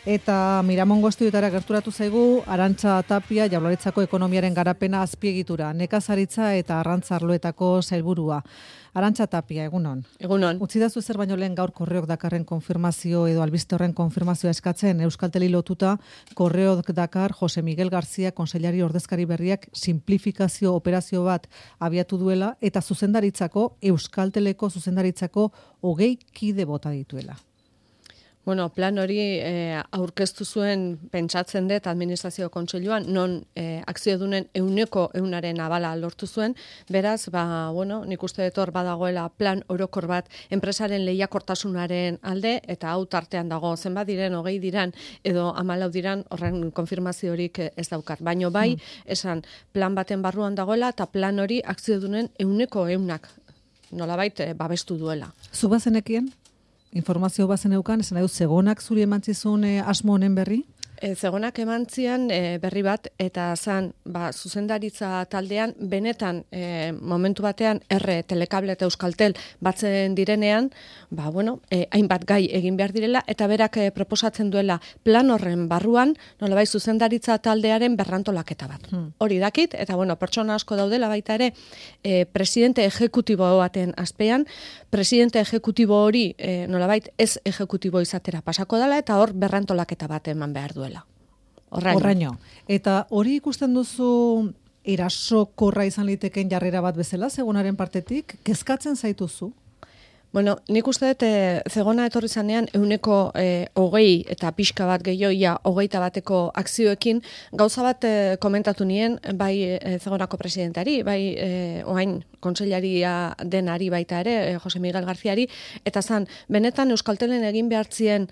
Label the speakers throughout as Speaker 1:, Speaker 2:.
Speaker 1: Eta Miramon Goztietara gerturatu zaigu Arantxa Tapia, Jaurlaritzako ekonomiaren garapena azpiegitura, nekazaritza eta arrantza arloetako sailburua. Arantxa Tapia, egunon.
Speaker 2: Egunon.
Speaker 1: Utzidazu zer baino lehen gaur Korreok Dakarren konfirmazio edo albiste horren konfirmazioa eskatzen Euskalteli lotuta Korreok Dakar Jose Miguel García kontseilari ordezkari berriak simplifikazio operazio bat abiatu duela eta zuzendaritzako Euskalteleko zuzendaritzako 20 kide bota dituela.
Speaker 2: Bueno, plan hori aurkeztu zuen pentsatzen dut administrazio kontseiluan, non akziodunen 100% abala lortu zuen, beraz, nik uste dut hor badagoela plan orokor bat enpresaren lehiakortasunaren alde, eta hau tartean dago, zenbat diren, 20 diran, edo 14 diran, horren konfirmaziorik ez daukar. Baino bai, esan plan baten barruan dagoela, eta plan hori akziodunen 100% nolabait babestu duela.
Speaker 1: Zu bazenekien? Informazio bazen eukan, esan edo Zegonak zuri emantzizun asmo honen berri?
Speaker 2: Zegonak emantzian berri bat, eta zan zuzendaritza taldean, benetan momentu batean Telekable eta Euskaltel batzen direnean, hainbat gai egin behar direla, eta berak proposatzen duela plan horren barruan, nolabait zuzendaritza taldearen berrantolaketa bat. Hori dakit, eta pertsona asko daudela baita ere, presidente ejekutibo baten azpean, presidente ejekutibo hori nolabait ez ejekutibo izatera pasako dela, eta hor berrantolaketa bat eman behar duela.
Speaker 1: Horraino. Eta hori ikusten duzu erasokorra izan liteken jarrera bat bezala, Zegonaren partetik, kezkatzen zaituzu?
Speaker 2: Bueno, nik uste dut Zegona etorri zanean 120 eta pixka bat gehioia 21 akzioekin gauza bat komentatu nien, bai Zegonako presidentari, bai oain kontseilaria denari baita ere, Jose Miguel Garziari, eta zan, benetan Euskaltelen egin behartzien,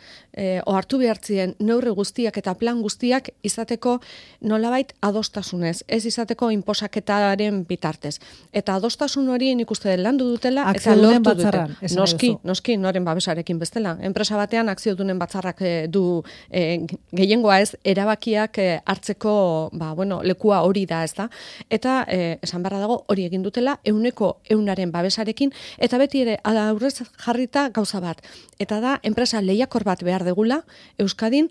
Speaker 2: hartu behartzien neurri guztiak eta plan guztiak izateko nolabait adostasunez, ez izateko inposaketaren bitartez. Eta adostasun hori nik uste dut landu dutela, eta lortu dute. Noski, noren babesarekin bestela. Enpresa batean akziodunen batzarrak du gehiengoa ez, erabakiak hartzeko lekua hori da, ez da. Eta esan beharra dago hori egin dutela 100% babesarekin, eta beti ere aurrez jarrita gauza bat. Eta da, enpresa lehiakor bat behar degula Euskadin,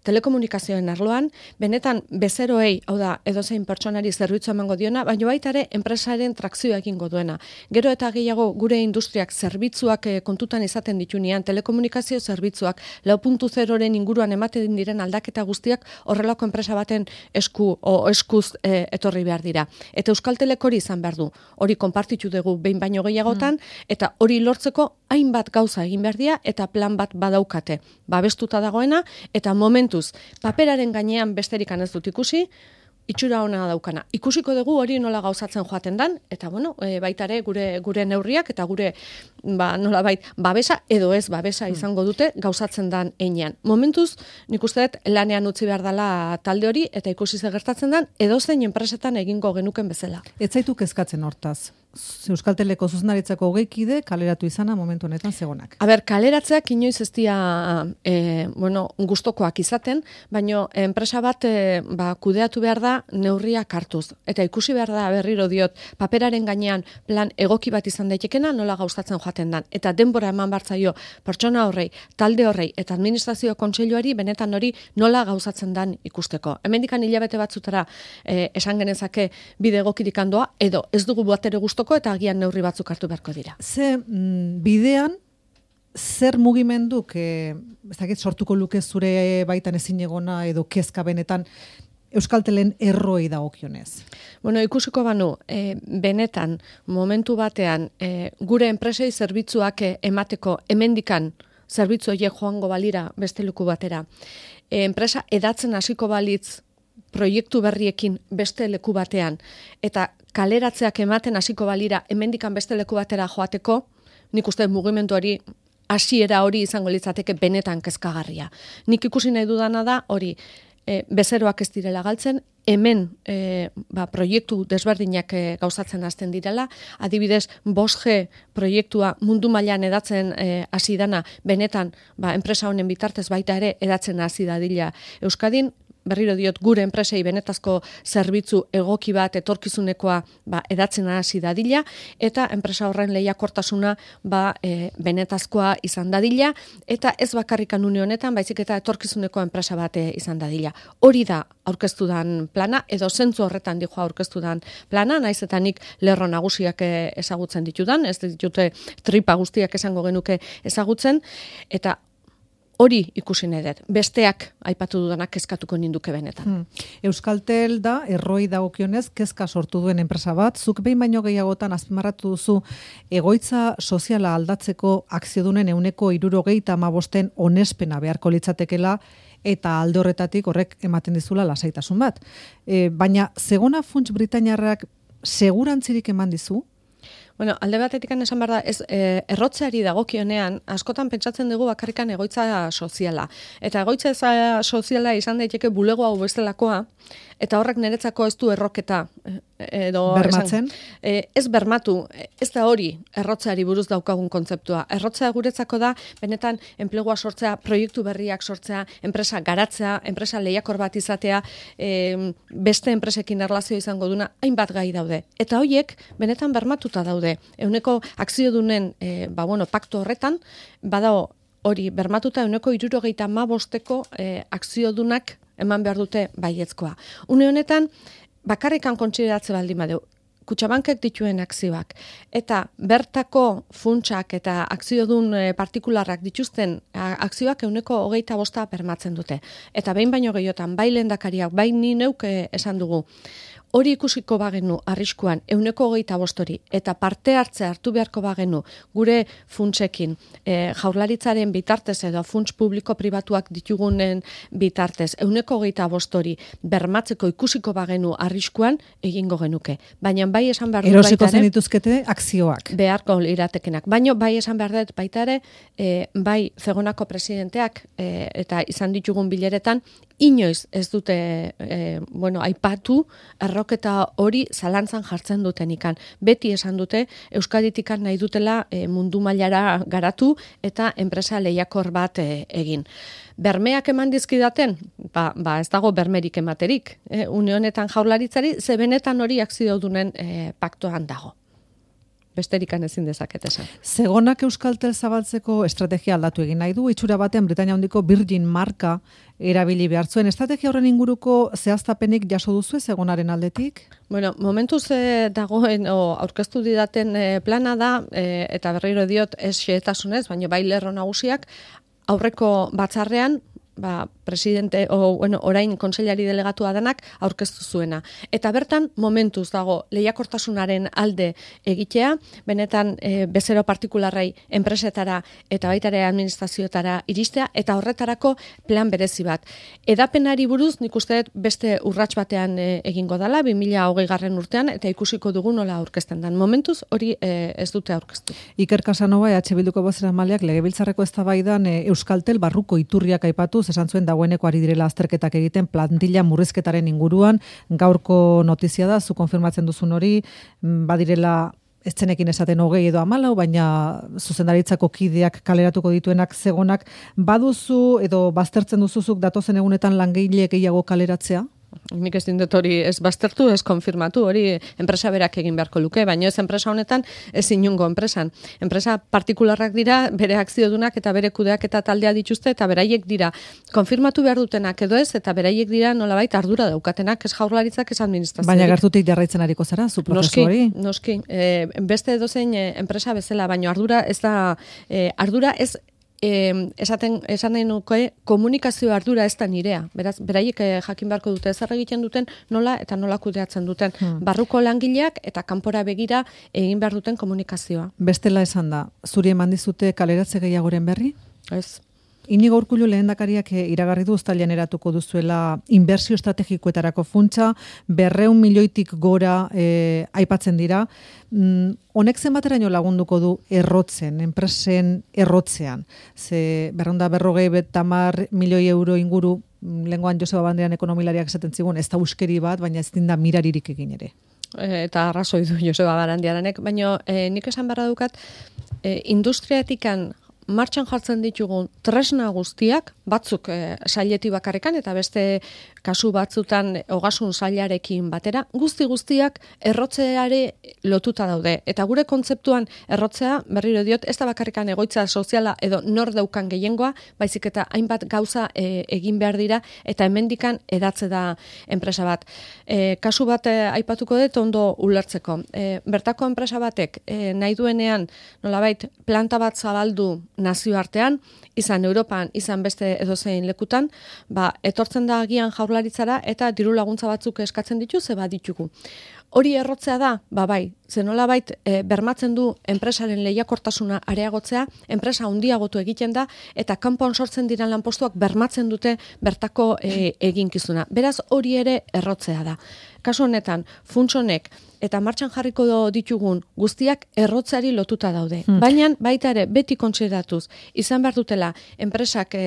Speaker 2: telekomunikazioen arloan, benetan bezeroei, hau da, edozein pertsonari zerbitzu emango diona, baina baita ere enpresaren trakzioa egingo duena. Gero eta gehiago gure industriak zerbitzuak kontutan izaten ditunean, telekomunikazio zerbitzuak 4.0-ren inguruan ematen diren aldaketa guztiak horrelako enpresa baten eskuz etorri behar dira. Eta Euskaltelek hori izan behar du. Hori konpartitu dugu behin baino gehiagotan, eta hori lortzeko hainbat gauza egin behar dira, eta plan bat badaukate. Babestuta dagoena, eta momentuz, paperaren gainean besterik ez dut ikusi, itxura ona daukana. Ikusiko dugu hori nola gauzatzen joaten dan, eta baita ere gure neurriak eta gure nolabait babesa edo ez babesa izango dute gauzatzen dan heinean. Momentuz, nik uste dut lanean utzi behar dela talde hori, eta ikusi ze gertatzen dan, edozein enpresetan egingo genuken bezala.
Speaker 1: Ez zaitu kezkatzen hortaz? Euskalteleko zuzendaritzako 20 kide kaleratu izana momentu honetan Zegonak.
Speaker 2: Kaleratzeak inoiz ez dira gustokoak izaten, baino enpresa bat kudeatu behar da neurriak hartuz. Eta ikusi behar da berriro diot, paperaren gainean plan egoki bat izan daitekena nola gauzatzen joaten dan. Eta denbora eman bartzaio pertsona horrei, talde horrei eta administrazio kontseiluari benetan hori nola gauzatzen dan ikusteko. Hemendikan hilabete batzutara esan genezake bide egokirik handoa, edo ez dugu batere gustoko eta agian neurri batzuk hartu beharko dira.
Speaker 1: Ze bidean, zer mugimenduk sortuko luke zure baitan ezinegona edo kezka benetan Euskaltelen erroi dagokionez?
Speaker 2: Ikusiko banu, benetan, momentu batean, gure enpresei zerbitzuak emateko hemendikan zerbitzu horiek joango balira beste leku batera. Enpresa edatzen hasiko balitz proiektu berriekin beste leku batean, eta kaleratzeak ematen hasiko balira hemendikan beste leku batera joateko, nik uste mugimendu hori hasiera hori izango litzateke benetan kezkagarria. Nik ikusi nahi dudana da hori bezeroak ez direla galtzen, hemen proiektu desberdinak gauzatzen hasten direla, adibidez 5G proiektua mundu mailan edatzen hasi dana, benetan enpresa honen bitartez baita ere edatzen hasi dadila Euskadin, berriro diot gure enpresei benetazko zerbitzu egoki bat etorkizunekoa edatzen hasi dadila eta enpresa horren lehiakortasuna benetazkoa izan dadila eta ez bakarrikan une honetan baizik eta etorkizuneko enpresa bat izan dadila. Hori da aurkeztu dan plana edo zentzu horretan dijo aurkeztu dan plana, naiz eta nik lerro nagusiak ezagutzen ditudan, ez ditute tripa guztiak esango genuke ezagutzen eta hori ikusi nahi dut. Besteak aipatu dudanak kezkatuko ninduke benetan.
Speaker 1: Euskaltel da, erroi dagokionez, kezka sortu duen enpresa bat. Zuk behin baino gehiagotan azpimarratu duzu egoitza soziala aldatzeko akziodunen 75% onespena beharko litzatekela eta alde horretatik horrek ematen dizula lasaitasun bat. Baina Zegona Funts Britainiarrak segurantzirik eman dizu?
Speaker 2: Bueno, alde batetik esan behar da, errotzeari dagokionean, askotan pentsatzen dugu bakarrikan egoitza soziala. Eta egoitza soziala izan daiteke bulego hau bestelakoa, eta horrek niretzako ez du erroketa.
Speaker 1: Bermatzen?
Speaker 2: Ez bermatu, ez da hori errotzeari buruz daukagun kontzeptua. Errotzea guretzako da, benetan enplegua sortzea, proiektu berriak sortzea, enpresa garatzea, enpresa lehiakor bat izatea, beste enpresekin erlazio izango duna, hainbat gai daude. Eta horiek, benetan bermatuta daude. Euneko akziodunen paktu horretan, badao hori bermatuta 75%ko akziodunak eman behar dute baiezkoa. Une honetan, bakarrikan kontsideratze baldin badeu, Kutxabankek dituen akzioak eta bertako funtsak eta akziodun partikularrak dituzten akzioak 25% bermatzen dute. Eta behin baino gehiotan, bai lehendakariak, bai ni neuk esan dugu, hori ikusiko bagenu arriskuan 25% hori eta parte hartze hartu beharko bagenu gure funtsekin Jaurlaritzaren bitartez edo funts publiko pribatuak ditugunen bitartez 25% hori bermatzeko ikusiko bagenu arriskuan egingo genuke. Baina bai esan behar dut
Speaker 1: erosiko zen dituzkete akzioak.
Speaker 2: Beharko liratekenak. Baina bai esan behar dut baita ere bai Zegonako presidenteak eta izan ditugun bileretan inoiz ez dute aipatu erroketa hori zalantzan jartzen dutenikan. Beti esan dute Euskaditikan nahi dutela mundu mailara garatu eta enpresa lehiakor bat egin. Bermeak eman dizkidaten? Ez dago bermerik ematerik. Une honetan Jaurlaritzari ze benetan hori akziodunen paktoan dago. Besterikan ezin dezaket esan.
Speaker 1: Zegonak Euskaltel zabaltzeko estrategia aldatu egin nahi du, itxura batean Britainia handiko Virgin marka erabili behar zuen. Estrategia horren inguruko zehaztapenik jaso duzu Zegonaren aldetik?
Speaker 2: Bueno, momentuz dagoen aurkeztu didaten plana da, eta berriro diot ez xehetasunez, baina bai lerro nagusiak, aurreko batzarrean, presidente, orain kontseilari delegatua denak aurkeztu zuena. Eta bertan, momentuz dago lehiakortasunaren alde egitea, benetan bezero partikularrei enpresetara eta baitare administrazioetara iristea, eta horretarako plan berezi bat. Edapenari buruz, nik uste beste urrats batean egingo dela, 2020 urtean, eta ikusiko dugu nola aurkezten den. Momentuz, hori ez dute aurkeztu.
Speaker 1: Iker Casanova, EH Bilduko bozeramaileak legebiltzarreko eztabaidan Euskaltel barruko iturriak aipatu, esan zuen dagoeneko ari direla azterketak egiten plantilla murrizketaren inguruan, gaurko notizia da, zu konfirmatzen duzun hori, badirela ez zenekin esaten 20 edo 14, baina zuzendaritzako kideak kaleratuko dituenak Zegonak, baduzu edo baztertzen duzuzuk datozen egunetan langile gehiago kaleratzea?
Speaker 2: Nik ez dindut hori ez baztertu, ez konfirmatu, hori enpresa berak egin beharko luke, baina ez enpresa honetan ez inungo enpresan. Enpresa partikularrak dira, bere akziodunak eta bere kudeak eta taldea dituzte, eta beraiek dira konfirmatu behar dutenak edo ez, eta beraiek dira nolabait ardura daukatenak, ez Jaurlaritzak, ez administrazioa.
Speaker 1: Baina gertutik jarraitzen ariko zara, zu prozesu hori?
Speaker 2: Noski. Beste edozein enpresa bezala, baina ardura ez esan nahi nuke komunikazio ardura ez da nirea. Beraz, beraiek jakin beharko dute zer egiten duten, nola eta nola kudeatzen duten. Barruko langileak eta kanpora begira egin behar duten komunikazioa.
Speaker 1: Bestela esan da, zuri eman dizute kaleratze gehiagoren berri?
Speaker 2: Ez.
Speaker 1: Inigo Urkullu lehendakariak iragarri du uztailean eratuko duzuela inbertsio estrategikoetarako funtsa, 200 milioitik gora aipatzen dira. Honek zenbateraino lagunduko du errotzen, enpresen errotzean? Ze 250 milioi euro inguru, lengoan Joseba Banderan ekonomilariak esaten zigun, ez da uskeri bat, baina ez dinda miraririk egin ere.
Speaker 2: Eta arrazoi du Joseba Barandiaranek, baina nik esan beharra dukat, industriatikan martxan jartzen ditugun tresna guztiak, batzuk saileti bakarrekan eta beste kasu batzutan ogasun sailarekin batera, guztiak errotzeare lotuta daude. Eta gure kontzeptuan errotzea, berriro diot, ez da bakarrekan egoitza soziala edo nor daukan gehiengoa, baizik eta hainbat gauza egin behar dira eta hemendikan edatze da enpresa bat. Kasu bat aipatuko dut ondo ulertzeko. Bertako enpresa batek nahi duenean nolabait planta bat zabaldu nazioartean, izan Europan, izan beste edozein lekutan, etortzen da agian jaurlaritzara eta diru laguntza batzuk eskatzen ditu, ze baditugu. Hori errotzea da, bai, zenolabait bermatzen du enpresaren lehiakortasuna areagotzea, enpresa handiagotu egiten da, eta kanpoan sortzen diran lanpostuak bermatzen dute bertako eginkizuna. Beraz, hori ere errotzea da. Kasu honetan, funts honek eta martxan jarriko ditugun guztiak errotzeari lotuta daude. Baina, baita ere, beti kontsideratuz, izan behar dutela, enpresak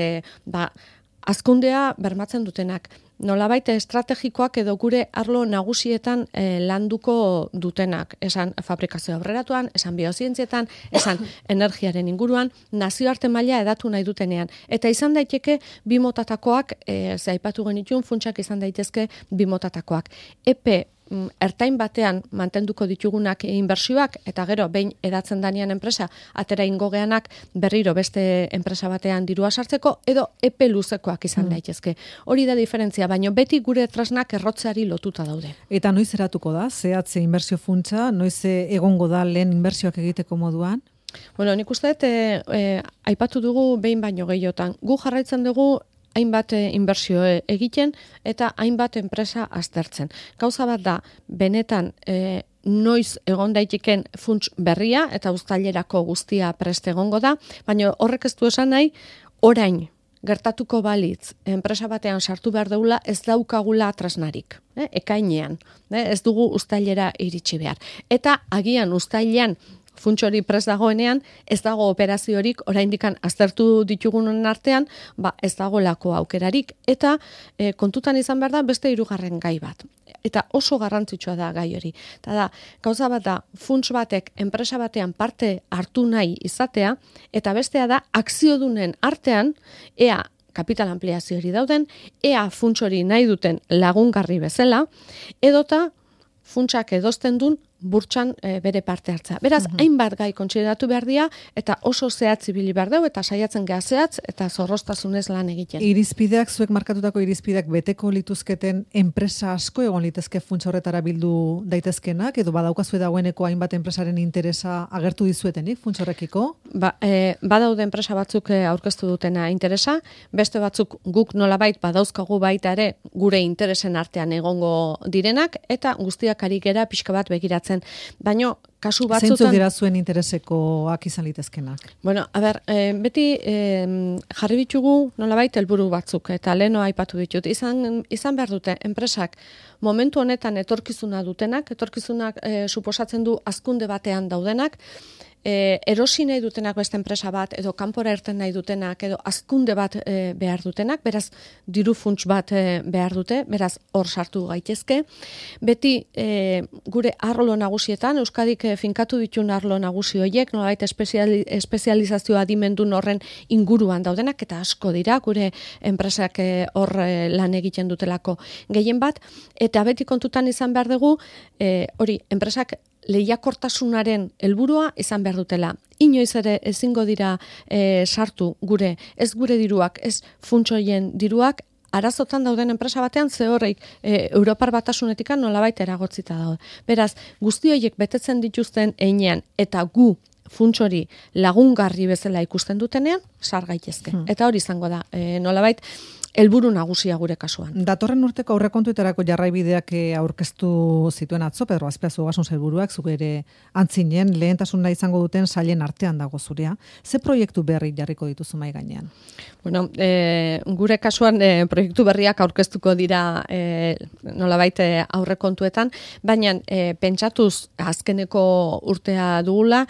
Speaker 2: hazkundea bermatzen dutenak. Nolabait estrategikoak edo gure arlo nagusietan landuko dutenak. Esan fabrikazio aurreratuan, esan biozientzietan, esan energiaren inguruan, nazioarte maila edatu nahi dutenean. Eta izan daiteke bi motatakoak, ze aipatu genituen funtsak izan daitezke bi motatakoak. Epe ertain batean mantenduko ditugunak inbertsioak eta gero behin edatzen danean enpresa atera ingogeanak berriro beste enpresa batean dirua sartzeko edo epe luzekoak izan daitezke. Hori da diferentzia, baina beti gure tresnak errotzeari lotuta daude.
Speaker 1: Eta noiz eratuko da? Zehatze inbertsio funtsa, noiz egongo da lehen inbertsioak egiteko moduan?
Speaker 2: Bueno, nik uste aipatu dugu behin baino gehiotan. Gu jarraitzen dugu hainbat inbertsio egiten eta hainbat enpresa aztertzen. Gauza bat da, benetan noiz egon daiteken funts berria eta uztailerako guztia prest egongo da, baina horrek ez du esan nahi, orain gertatuko balitz enpresa batean sartu behar deula ez daukagula tresnarik, ekainean, ez dugu uztailera iritsi behar. Eta agian uztailean funts hori prest dagoenean, ez dago operaziorik oraindikan aztertu ditugunen artean, ez dagoelako aukerarik, eta kontutan izan behar da beste hirugarren gai bat. Eta oso garrantzitsua da gai hori. Eta da, gauza bat da, funts batek enpresa batean parte hartu nahi izatea, eta bestea da, akziodunen artean, ea kapital ampliazio hori dauden, ea funts hori nahi duten lagungarri bezala, edota funtsak edosten duen burtsan bere parte hartza. Beraz, hainbat gai kontsideratu behar dira, eta oso zehatz ibili behar dugu, eta saiatzen geha zehatz, eta zorroztasunez lan egiten.
Speaker 1: Irizpideak, zuek markatutako irizpideak beteko lituzketen enpresa asko egon litezke funtsa horretara bildu daitezkenak, edo badaukazue dagoeneko hainbat enpresaren interesa agertu dizuetenik funtsa horrekiko?
Speaker 2: Badaude enpresa batzuk aurkeztu dutena interesa, beste batzuk guk nolabait badauzkagu baita ere gure interesen artean egongo direnak, eta guztiak ari gera pixka bat begiratzen. Baina, kasu batzutan...
Speaker 1: Zeintzuk dira zuen interesekoak izan litezkenak?
Speaker 2: Bueno, beti jarri bitugu nolabait helburu batzuk, eta leheno aipatu ditut. Izan behar dute, enpresak momentu honetan etorkizuna dutenak, etorkizunak suposatzen du hazkunde batean daudenak, erosi nahi dutenak beste enpresa bat, edo kanpora irten nahi dutenak, edo hazkunde bat behar dutenak, beraz, diru funts bat behar dute, beraz, hor sartu gaitezke. Beti, gure arlo nagusietan, Euskadik finkatu ditun arlo nagusi horiek, nolabait espezializazioa adimendun horren inguruan daudenak, eta asko dira, gure enpresak hor lan egiten dutelako gehien bat, eta beti kontutan izan behar dugu, hori, enpresak lehiakortasunaren helburua izan behar dutela. Inoiz ere ezingo dira sartu ez gure diruak, ez funtsoien diruak, arazotan dauden enpresa batean ze horreik Europar Batasunetikan nolabait eragotzita daude. Beraz, guzti horiek betetzen dituzten heinean eta gu funts hori lagungarri bezala ikusten dutenean, sar gaitezke. Eta hori izango da, nolabait, helburu nagusia gure kasuan.
Speaker 1: Datorren urteko aurrekontuetarako jarraibideak aurkeztu zituen atzo, Pedro Azpiazu Ogasun Sailburuak, zuk ere antzinen, lehentasuna izango duten sailen artean dago zurea. Ze proiektu berri jarriko dituzu mahai gainean?
Speaker 2: Bueno, gure kasuan proiektu berriak aurkeztuko dira nolabait aurrekontuetan, baina pentsatuz azkeneko urtea dugula,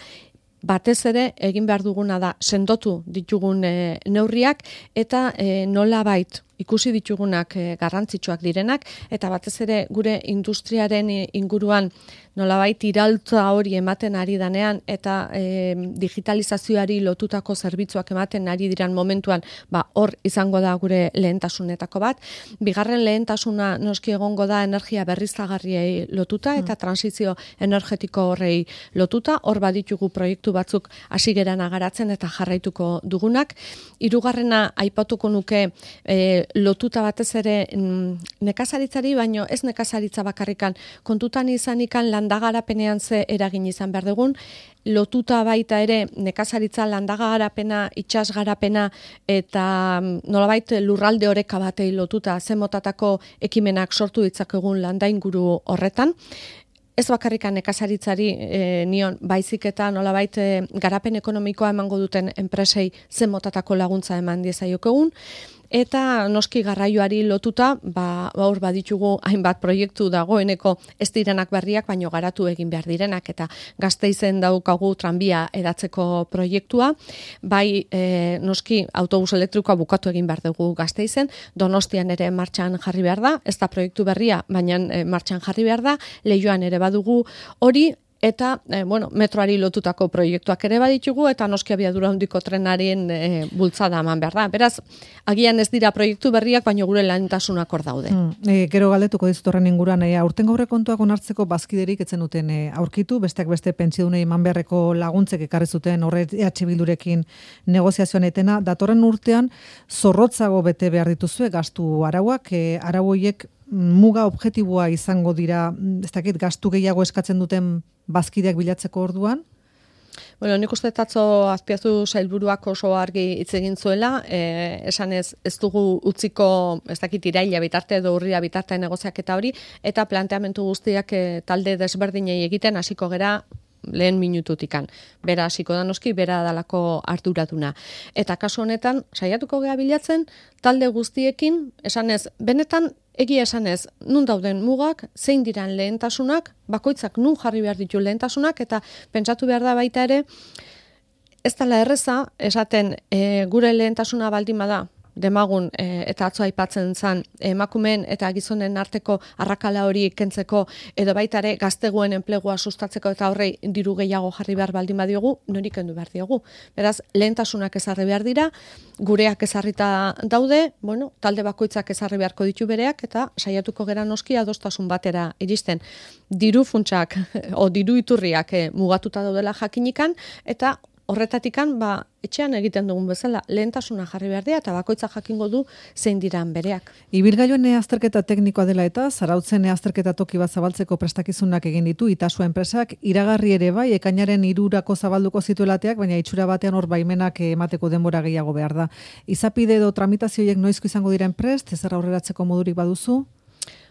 Speaker 2: batez ere egin behar duguna da sendotu ditugun neurriak eta nolabait ikusi ditugunak garrantzitsuak direnak, eta batez ere gure industriaren inguruan nolabait iraultza hori ematen ari danean, eta digitalizazioari lotutako zerbitzuak ematen ari diran momentuan, hor izango da gure lehentasunetako bat. Bigarren lehentasuna noski egongo da energia berriztagarriei lotuta eta transizio energetiko horrei lotuta. Hor baditugu proiektu batzuk hasi gerana garatzen eta jarraituko dugunak. Hirugarrena aipatuko nuke lotuta batez ere nekazaritzari, baino ez nekazaritza bakarrikan, kontutan izanikan landagarapenean ze eragin izan behar dugun, lotuta baita ere nekazaritza, landagarapena, itsasgarapena eta nolabait lurralde oreka batei lotuta ze motatako ekimenak sortu ditzakegun landainguru horretan. Ez bakarrikan nekazaritzari nion baizik eta nolabait garapen ekonomikoa emango duten enpresei ze motatako laguntza eman diezaiokegun. Eta noski garraioari lotuta, hor baditugu hainbat proiektu dagoeneko ez direnak berriak, baino garatu egin behar direnak, eta Gasteizen daukagu tranbia edatzeko proiektua, bai noski autobus elektrikoa bukatu egin behar dugu Gasteizen, Donostian ere martxan jarri behar da, ez da proiektu berria, baina martxan jarri behar da, Leioan ere badugu hori, eta metroari lotutako proiektuak ere baditugu, eta noski abiadura handiko trenaren bultzada eman behar da. Beraz, agian ez dira proiektu berriak, baino gure lehentasunak hor daude.
Speaker 1: Gero galdetuko dizut horren inguruan, aurtengo aurrekontuak onartzeko bazkiderik etzen duten aurkitu, besteak beste pentsiodunei eman beharreko laguntzek ekarri zuten horre EH Bildurekin negoziazioan etena, datorren urtean zorrotzago bete behar dituzue gastu arauak, arau horiek muga objektiboa izango dira, ez dakit, gastu gehiago eskatzen duten bazkideak bilatzeko orduan?
Speaker 2: Nik uste atzo Azpiazu sailburuak oso argi hitz egin zuela, esanez ez dugu utziko, ez dakit, iraila bitarte edo urria bitarte negoziaketa hori, eta planteamendu guztiak talde desberdinei egiten hasiko gera lehen minututikan. Bera hasiko da noski, bera dalako arduraduna. Eta kasu honetan, saiatuko gea bilatzen, talde guztiekin, esanez, benetan, egia esanez, nun dauden mugak, zein diran lehentasunak, bakoitzak nun jarri behar ditu lehentasunak, eta pentsatu behar da baita ere, ez dela erreza, esaten gure lehentasuna baldin bada, demagun eta atzo aipatzen zan emakumeen eta gizonen arteko arrakala hori kentzeko edo baita ere gazteguen enplegua sustatzeko eta horrei diru gehiago jarri behar baldin badiogu, nori kendu behar diogu. Beraz, lehentasunak ezarri behar dira, gureak ezarrita daude, talde bakoitzak ezarri beharko ditu bereak eta saiatuko gera noski adostasun batera iristen. Diru funtsak o diru iturriak mugatuta daudela jakinikan eta horretatikan, etxean egiten dugun bezala, lehentasuna jarri behar dira, eta bakoitza jakingo du zein diran bereak.
Speaker 1: Ibilgailuen azterketa teknikoa dela eta, Zarautzen azterketa toki bat zabaltzeko prestakizunak egin ditu, Itasua enpresak, iragarri ere bai, ekainaren 3 zabalduko zituelateak, baina itxura batean hor baimenak emateko denbora gehiago behar da. Izapide edo tramitazioiek noizko izango diren prest, ezer aurreratzeko modurik baduzu?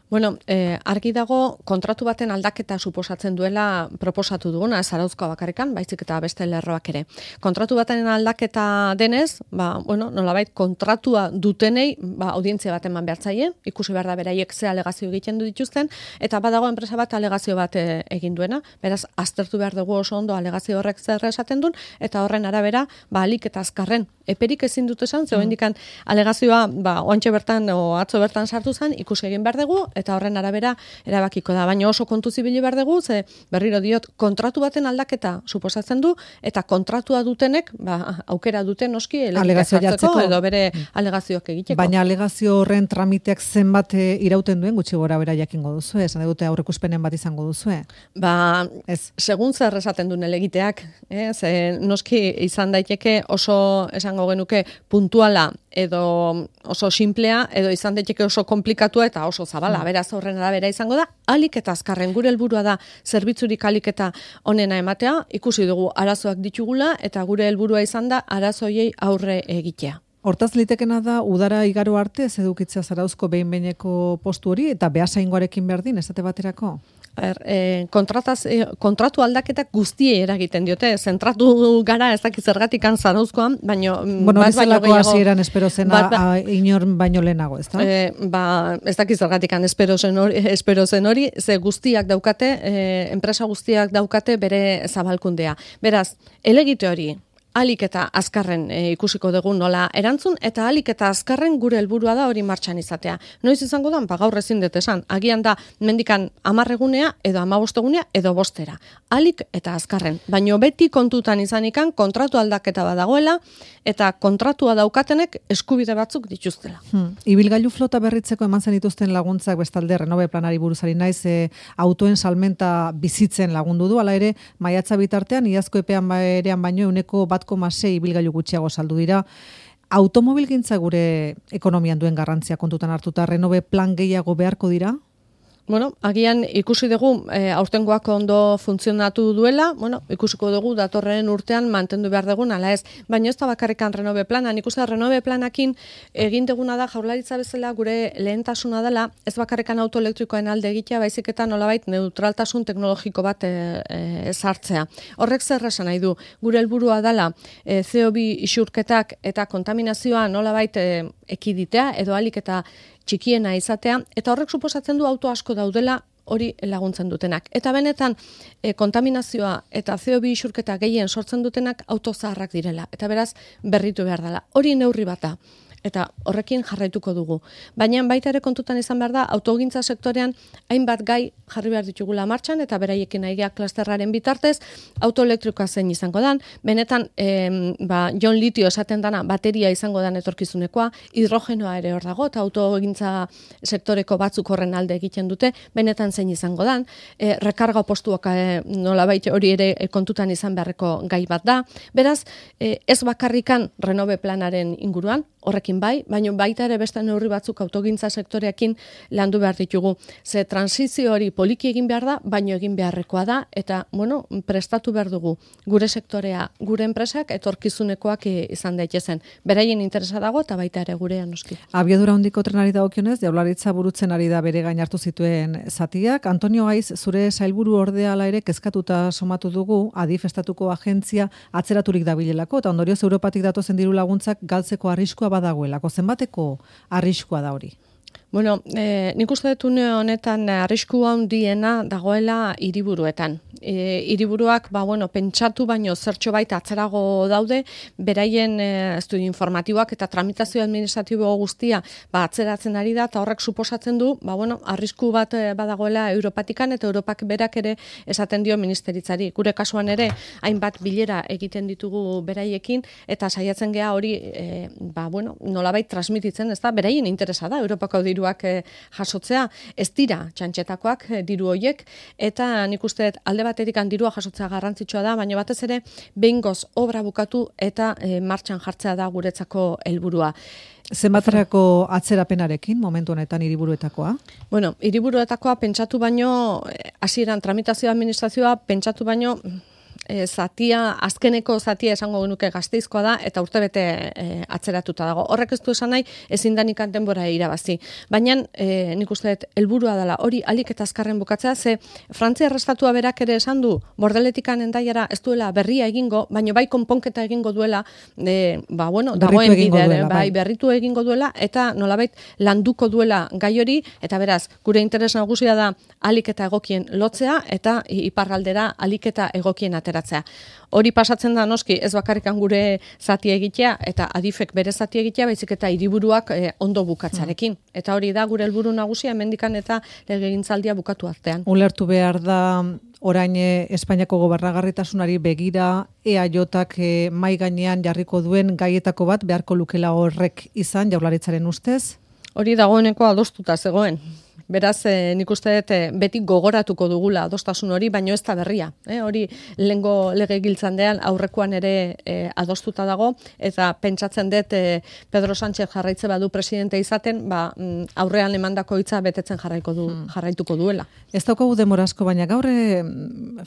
Speaker 2: Argi dago kontratu baten aldaketa suposatzen duela proposatu duguna, Zarauzkoa bakarrikan, baizik eta beste lerroak ere. Kontratu baten aldaketa denez, nolabait kontratua dutenei, audientzia bat eman behar zaie, ikusi behar da beraiek ze alegazio egiten du dituzten, eta badago enpresa bat alegazio bat egin duena, beraz, aztertu behar dugu oso ondo alegazio horrek zer esaten duen, eta horren arabera, alik eta azkarren. Eperik ezin dut esan, zeu indikan alegazioa, oantxe bertan, atzo bertan sartu zen, ikusi egin behar dugu, eta horren arabera erabakiko da. Baina oso kontu zibili behar dugu, ze berriro diot, kontratu baten aldaketa suposatzen du, eta kontratua dutenek, aukera duten noski,
Speaker 1: alegazioa
Speaker 2: edo bere alegazioak egiteko.
Speaker 1: Baina alegazio horren tramiteak zenbat irauten duen, gutxi gora bera jakingo duzu, esan dute aurrekuspenen bat izango duzu.
Speaker 2: Segun zer esaten duen elegiteak, ze noski izan daiteke oso esango genuke puntuala edo oso simplea, edo izan daiteke oso komplikatua eta oso zabala. Beraz horren arabera izango da, alik eta azkarren gure helburua da zerbitzurik alik eta onena ematea, ikusi dugu arazoak ditugula eta gure helburua izan da arazoiei aurre egitea.
Speaker 1: Hortaz litekena da, udara igaro arte ez edukitzea Zarauzko behin-behineko postu hori eta behasaingoarekin berdin, esate baterako?
Speaker 2: Kontratu aldaketak guztiei eragiten diote, zentratu gara ez dakit zergatikan Zarauzkoan, baino
Speaker 1: bezalako hasieran espero zena inor baino lehenago, ez da?
Speaker 2: Ez dakit zergatikan espero zen hori, ze guztiak daukate, enpresa guztiak daukate bere zabalkundea. Beraz, elegite hori alik eta azkarren ikusiko dugu nola erantzun, eta alik eta azkarren gure helburua da hori martxan izatea. Noiz izango da, gaur ezin dut esan, agian da mendikan 10 egunea edo 15 egunea edo 5 alik eta azkarren. Baino beti kontutan izanikan kontratu aldaketa badagoela eta kontratua daukatenek eskubide batzuk dituztela.
Speaker 1: Ibilgailu flota berritzeko eman zenituzten laguntzak bestalde Renove planari buruzari naiz autoen salmenta bizitzen lagundu du, hala ere maiatza bitartean iazko epean berean baino 1,6 ibilgailu gutxiago saldu dira. Automobilgintza gure ekonomian duen garrantzia kontutan hartuta Renove plan gehiago beharko dira?
Speaker 2: Bueno, agian ikusi dugu aurtengoak ondo funtzionatu duela, ikusiko dugu datorren urtean mantendu behar dugun, ala ez. Baina ez da bakarrikan Renove plana, nik uste Renove planakin egin duguna da Jaurlaritza bezala gure lehentasuna dela, ez bakarrikan auto elektrikoen alde egitea, baizik eta nolabait neutraltasun teknologiko bat sartzea. Horrek zer esan nahi du, gure helburua dela CO2 isurketak eta kontaminazioa nolabait ekiditea edo alik eta txikiena izatea, eta horrek suposatzen du auto asko daudela hori laguntzen dutenak. Eta benetan, kontaminazioa eta CO2 isurketa gehien sortzen dutenak auto zaharrak direla. Eta beraz, berritu behar dela. Hori neurri bata. Eta horrekin jarraituko dugu. Baina baita ere kontutan izan behar da, autogintza sektorean hainbat gai jarri behar ditugula martxan, eta beraiekin aigeak klasterraren bitartez, autoelektrikoa zein izango dan, benetan jon litio esaten dana bateria izango dan etorkizunekoa, hidrogenoa ere hor dago, eta autogintza sektoreko batzuk horren alde egiten dute, benetan zein izango dan, rekarga postuak nolabait hori ere kontutan izan beharreko gai bat da. Beraz, ez bakarrikan Renove planaren inguruan, horrekin bai, baina baita ere beste neurri batzuk autogintza sektoreekin landu behar ditugu. Ze transizio hori poliki egin behar da, baino egin beharrekoa da, eta, prestatu behar dugu gure sektorea, gure enpresak, etorkizunekoak izan daitezen. Beraien interesa dago, eta baita ere gurean noski.
Speaker 1: Abiadura handiko trenari dagokionez, Jaurlaritza burutzen ari da bere gain hartu zituen zatiak. Antonio Gaiz, zure sailburu ordea ere kezkatuta somatu dugu, Adif estatuko agentzia atzeraturik dabilelako, eta ondorioz Europatik datozen diru laguntzak galtzeko arriskua badagoelako. Zenbateko arriskua da hori?
Speaker 2: Bueno, nik uste dut une honetan arrisku handiena dagoela hiriburuetan. Hiriburuak, pentsatu baino zertxo baita atzerago daude, beraien estudio informatiboak eta tramitazio administratibo guztia atzeratzen ari da, eta horrek suposatzen du, arrisku bat badagoela Europatikan, eta Europak berak ere esaten dio ministeritzari. Gure kasuan ere, hainbat bilera egiten ditugu beraiekin, eta saiatzen gea hori, nolabait transmititzen, ez da, beraien interesa da, Europako diruak jasotzea, ez dira txantxetakoak diru hoiek, eta nik uste alde batetik dirua jasotzea garrantzitsua da, baina batez ere behingoz obra bukatu eta martxan jartzea da guretzako helburua.
Speaker 1: Zenbaterako atzerapenarekin momentu honetan hiriburuetakoa?
Speaker 2: Bueno, hiriburuetakoa pentsatu baino, hasieran tramitazio administrazioa pentsatu baino, azkeneko zatia esango genuke Gasteizkoa da, eta urtebete atzeratuta dago. Horrek ez du esan nahi, ezin danikan denbora irabazi. Baina, nik uste dut, helburua dela, hori alik eta azkarren bukatzea, ze Frantzia Estatua berak ere esan du, Bordeletikan Hendaiara ez duela berria egingo, baina bai konponketa egingo duela, dagoen bidea, berritu egingo duela, eta nolabait landuko duela gai hori, eta beraz, gure interes nagusia da alik eta egokien lotzea, eta iparraldera alik eta egokien ateratzea. Hori pasatzen da noski ez bakarrikan gure zati egitea eta Adifek bere zati egitea, baizik eta hiriburuak ondo bukatzarekin. Eta hori da gure helburu nagusia hemendikan eta legegintzaldia bukatu artean.
Speaker 1: Ulertu behar da orain Espainiako gobernagarritasunari begira EAJak mai gainean jarriko duen gaietako bat beharko lukela horrek izan Jaurlaritzaren ustez?
Speaker 2: Hori dagoeneko adostuta zegoen. Beraz, nik uste dut beti gogoratuko dugula adostasun hori, baino ez da berria. Hori lehengo legegiltzandean aurrekoan ere adostuta dago, eta pentsatzen dut Pedro Sánchez jarraitze badu presidente izaten, aurrean emandako hitza betetzen jarraituko duela.
Speaker 1: Ez daukagu denbora asko, baina gaur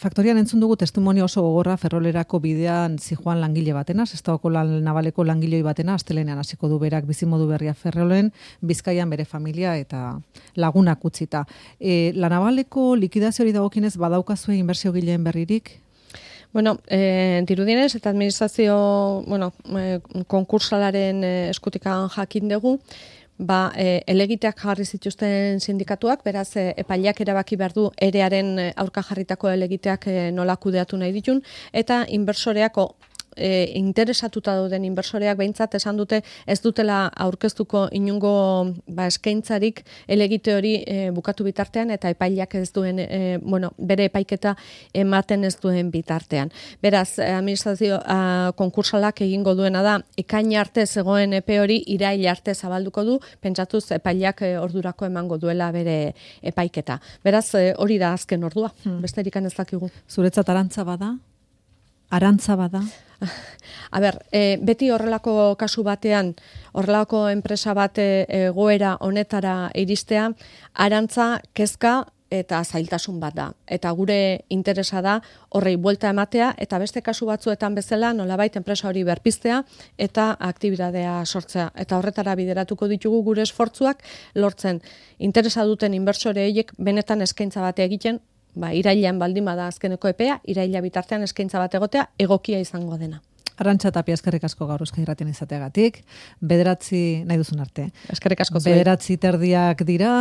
Speaker 1: faktorian entzun dugu testimonio oso gogorra Ferrolerako bidean zijoan langile batena, Sestaoko nabaleko langiloi batena, astelenean hasiko du berak bizimodu berria Ferrolen, Bizkaian bere familia eta laguna utzita. La Navaleko likidazioari dagokinez badaukazue inbertsio gileen berririk?
Speaker 2: Bueno, dirudienez eta administrazio, konkursalaren eskutikan jakin dugu, elegiteak jarri zituzten sindikatuak, beraz epaileak erabaki behar du erearen aurka jarritako elegiteak nola kudeatu nahi ditun, eta inbersoreako interesatuta dauden inbersoreak behintzat esan dute ez dutela aurkeztuko inungo eskaintzarik elegite hori bukatu bitartean eta epaileak ez duen, bere epaiketa ematen ez duen bitartean. Beraz, administrazio konkursalak egingo duena da, ekaina arte zegoen epe hori irail arte zabalduko du, pentsatuz epaileak ordurako emango duela bere epaiketa. Beraz, hori da azken ordua, besterik ez dakigu.
Speaker 1: Zuretzat arantza bada? Arantza bada?
Speaker 2: A ber, beti horrelako kasu batean, horrelako enpresa bat egoera honetara iristea, arantza, kezka eta zailtasun bat da. Eta gure interesa da horrei buelta ematea eta beste kasu batzuetan bezala nolabait enpresa hori berpiztea eta aktibitatea sortzea. Eta horretara bideratuko ditugu gure esfortzuak lortzen interesa duten inbertsore horiek benetan eskaintza bat egiten, irailean baldin bada azkeneko epea, iraila bitartean eskaintza bat egotea egokia izango dena.
Speaker 1: Arantxa Tapia, eskerrik asko gaur Euskadi Irratian izateagatik. 9 nahi duzun arte.
Speaker 2: Eskerrik asko zuei.
Speaker 1: 9:30 dira